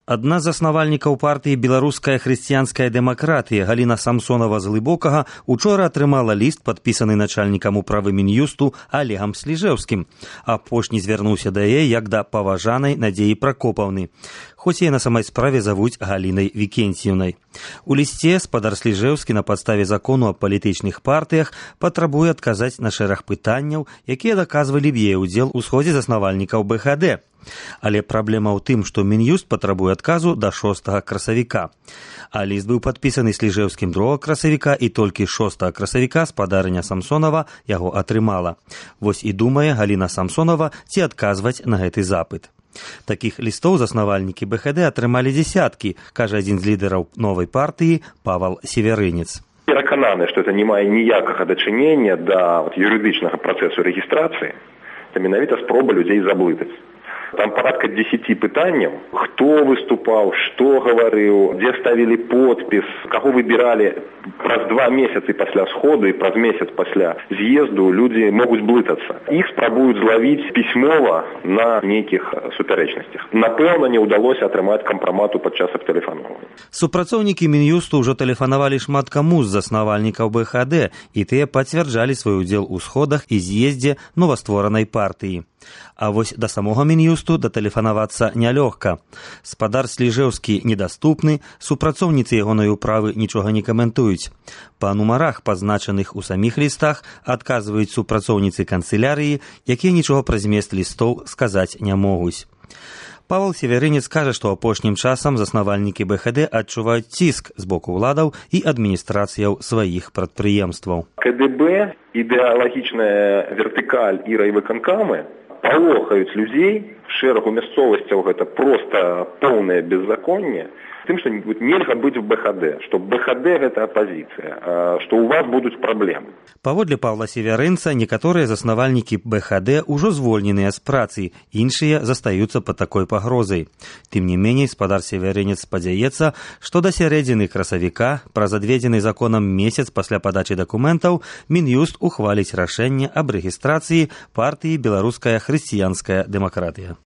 Адна з заснавальнікаў партыі «Беларуская хрысціянская дэмакратыя» Галіна Самсонова з Глыбокага учора атрымала ліст, падпісаны начальнікам управы Мін'юсту Олегам Сліжэўскім. Апошні звярнуўся да яе як да паважанай Надзеі Пракопаўны, хоць яе на самай справе завуць Галінай Вікенціўнай. У лісце спадар Сліжэўскі на падставе закону аб палітычных партыях патрабуе адказаць на шэраг пытанняў, якія даказвалі б яе ўдзел у сходзе заснавальнікаў БХД. Але праблема ў тым, што Мін'юст патрабуе адказу да 6 красавіка. А ліст быў падпісаны Сліжэўскім 2 красавіка, і толькі 6 красавіка спадарыня Самсонова яго атрымала. Вось і думае Галіна Самсонова, ці адказваць на гэты запыт. Такіх лістоў заснавальнікі БХД атрымалі дзесяткі, кажа адзін з лідараў новай партыі Павал Северынец. Перакананы, што это не мае ніякага дачынення да юрыдычнага працэсу рэгістрацыі, это менавіта спроба людзей заблытаць. Там порядка 10 пытанняў. Хто выступаў, што гаварыў, дзе ставілі подпіс, каго выбіралі. Праз 2 месяцы пасля сходу і праз месяц пасля з'езду людзі могуць блытацца. Іх спрабуюць злавіць пісьмова на нейкіх супярэчнасцях. Напэўна, не ўдалося атрымаць кампрамату падчас абтэлефанавання. Супрацоўнікі Мін'юсту ўжо тэлефанавалі шмат каму з заснавальнікаў БХД, і тыя пацвярджалі свой удзел у сходах і з'ездзе новастворанай партыі. А вось да самога Мін'юсту датэлефанавацца нялёгка. Спадар Сліжэўскі недаступны, супрацоўніцы ягонай управы нічога не каментуюць. Па нумарах, пазначаных у саміх лістах, адказваюць супрацоўніцы канцылярыі, якія нічога пра змест лістоў сказаць не могуць. Павал Северынец кажа, што апошнім часам заснавальнікі БХД адчуваюць ціск з боку ўладаў і адміністрацыяў сваіх прадпрыемстваў. КДБ, ідэалагічная вертыкаль і райвыканкамы палохаюць людзей, в шэрагу мясцовасцяў гэта проста поўнае беззаконне, тым, што нельга быць у БХД, што БХД гэта апазіцыя, што ў вас будуць праблемы. Паводле Павла Северынца, некаторыя заснавальнікі БХД ўжо звольненыя з працы, іншыя застаюцца пад такой пагрозай. Тым не меней, спадар Северынец спадзяецца, што да сярэдзіны красавіка, праз адведзены законам месяц пасля падачы дакументаў, Мін'юст ухваліць рашэнне аб рэгістрацыі партыі «Беларуская хрысціянская дэмакратыя».